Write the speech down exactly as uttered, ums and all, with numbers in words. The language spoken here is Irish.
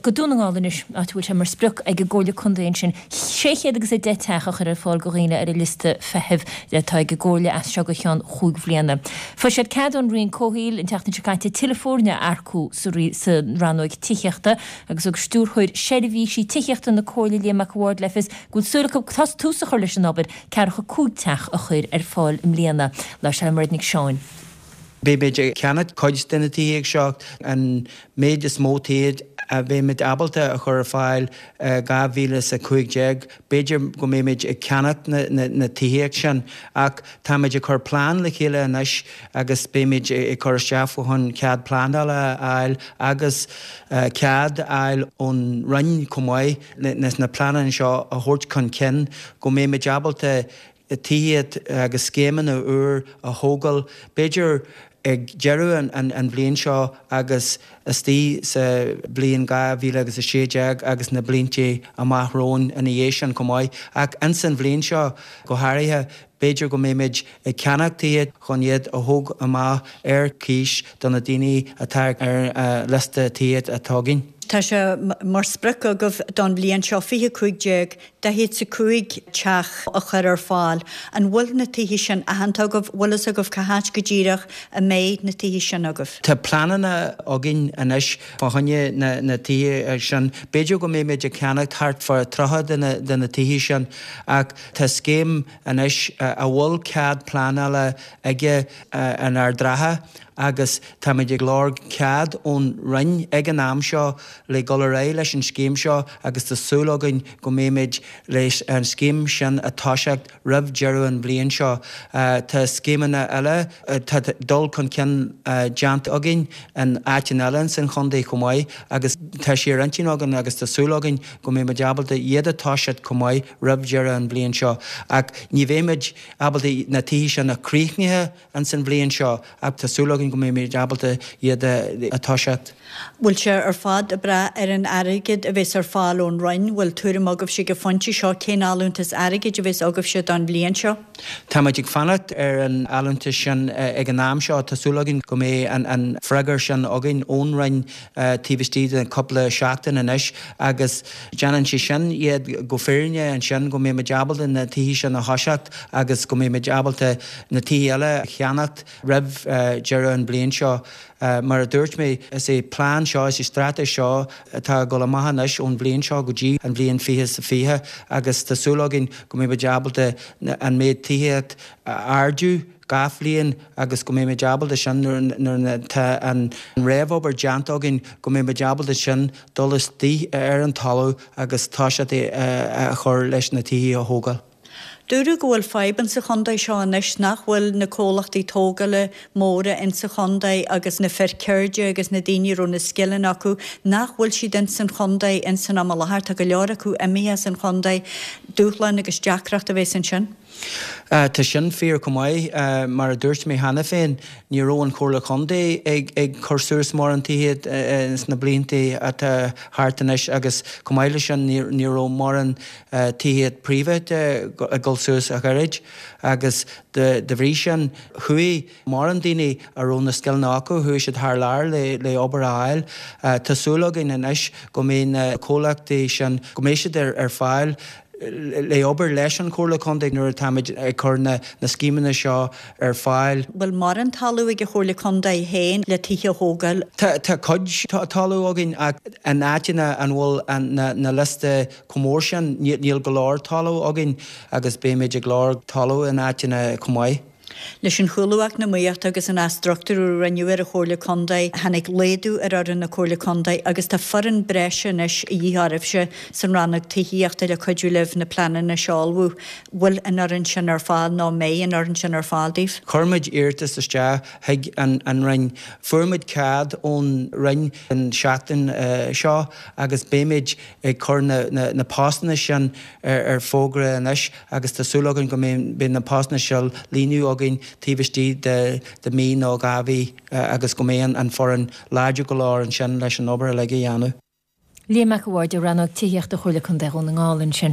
Go Dún na nGall anois, áit a bhfuil sé mar sprioc ag an gComhairle Contae ansin sé chéad agus a deich teach a chur ar fáil do dhaoine ar an liosta feithimh atá ag an gComhairle as seo go ceann chúig bhliana. Fuair siad cead ón Roinn Comhshaoil an tseachtain seo caite tuilleadh foirne a earcú sa rannóig tithíochta agus thug Stiúrthóir Seirbhísí Tithíochta na Comhairle Liam Mac a' Bhaird le fios go bhfuil súil acu tús a chur leis an obair ceathracha cúig teach a chur ar fáil i mbliana. Labhair sé le Mairéad Nic Seáin. Beimid ag ceannacht cuid de na tithe seo an méid is mó tithe a bheimid ábalta a chur ar fáil dhá mhíle is a cúig déag. B'fhéidir go mbeimid ag ceannacht na, na, na tithíocht sin ach táimid ag cur plean le chéile anois agus beimid ag cur isteach chun cead pleanála a fháil agus cead a fháil ón Roinn chomh maith leis na pleananna seo a thabhairt chun cinn go mbeimid ábalta tithíocht agus scéimeanna úr a thógáil, b'fhéidir ag deireadh an, an bhliain seo agus istigh sa bhliain dhá mhíle agus a sé déag agus na blianta amach romhainn ina dhiaidh sin chomh maith. Ach ins an bhliain seo go háirithe, b'fhéidir go mbeimid ag ceannach tithe chun iad a thóg amach ar cíos do na daoine atá ar liosta tithe atá againn. Tá sé mar sprioc agaibh don bhliain seo fiche cúig déag daichead is a cúig teach a chur ar fáil. An bhfuil na tithe sin aitheanta agaibh? Bhfuil fhios agaibh cá háit go díreach a mbeidh na tithe sin agaibh? Tá pleananna againn anois fá choinne na na tithe sin. B'fhéidir go mbeimid ag ceannacht thart fá tríocha de na de na tithe sin ach tá scéim anois a bhfuil cead pleanála aige in Ard Ratha agus táimid ag lorg cead ón Roinn ag an am seo le dul ar aghaidh leis an scéim seo agus tá súil againn go mbeimid leis an scéim sin a toiseacht roimh deireadh an bhliain seo. Tá scéimeanna eile, tá dul chun cinn déanta againn in áiteanna eile ins an chontae chomh maith agus tá sé ar intinn againn agus tá súil againn go mbeimid ábalta iad a toiseacht chomh maith roimh deireadh an bhliain seo. Ach ní bheimid ábalta na tithe sin a chríochnaithe ins an bhliain seo ach tá súil againn go mbeimid ábalta iad a toiseacht. Bhfuil sé ar fad ag brath ar an airgead a bheas ar fáil ón Roinn? Bhfuil tuairim agaibhse ag an phointe seo cén allúntas airgid a bheas agaibhse don bhliain seo? Táimid ag fanacht ar an allúntas sin ag an am seo. Tá súil againn go mbeidh an freagra sin againn ón Roinn taobh istigh de cúpla seachtain anois agus déanann sé sin iad go fírinne ansin go mbeimid ábalta na tithe sin a thoiseacht agus go mbeimid ábalta na tithe eile a cheannacht roimh deireadh an bhliain seo. Mar a dúirt mé, is é plean seo, is é straitéis seo atá ag dul amach anois ón bhliain seo go dtí an bhliain fiche is a fiche agus tá súil againn go mbeimid ábalta an méid tithíocht a ardú gach bhliain agus go mbeimid ábalta sin nuair atá an réamhobair déanta againn go mbeimid ábalta sin dul istigh ar an talamh agus toiseacht a chur leis na tithe a thógáil. Dúradh go bhfuil fadhb insa chontae seo anois nach bhfuil na comhlachtaí tógála móra insa chontae agus na fir ceirde agus na daoine a raibh na scileanna acu, nach bhfuil siad insan chontae insan am i láthair. Tá go leor acu imithe as an chontae. Dúshlán agus deacracht a bheas ansin. Tá sin fíor chomh maith. Mar a dúirt mé cheana féin, ní raibh an Chomhairle Chontae ag cur suas mórán tithe sna blianta atá thart anois agus chomh maith leis sin ní raibh mórán tithe príobháideacha ag dul suas ach oiread agus de bhrí sin chuaigh mórán daoine a raibh na scileanna acu, chuaigh siad thar lear le obair a fháil. Tá súil againn anois go mbeidh na comhlachtaí sin, go mbeidh siad ar fáil le obair leis an Chomhairle Contae nuair atáimid ag cur na scéimeanna seo ar fáil. Bhfuil mórán talamh ag an Chomhairle Contae féin le tithe a thógáil? Tá cuid talamh againn ach in áiteanna an bhfuil na liosta chomh mór sin, níl go leor talamh againn agus beimid ag lorg talamh in áiteanna chomh maith. Leis an chúlú eacnamaíochta agus an athstruchtúrú a rinneadh ar an Chomhairle Contae, tháinig laghdú ar fhoireann na Comhairle Contae agus tá foireann breise anois a dhíth oraibhse san rannóg tithíochta le cuidiú libh na pleananna seo a ullmhú. Bhfuil an fhoireann sin ar fáil nó an mbeidh an fhoireann sin ar fáil daoibh? Chuir muid iarratas isteach chuig an Roinn. Fuair muid cead ón Roinn an tseachtain seo agus beimid ag cur na postanna sin ar fógra anois agus tá súil againn go mbeidh na postanna seo líonadh againn taobh istigh de mhí nó dhá mhí agus go mbeidh an foireann láidir go leor ansin leis an obair uilig a dhéanamh. Liam Mac a' Bhaird ó Rannóg Tithíochta Chomhairle Contae Dhún na nGall ansin.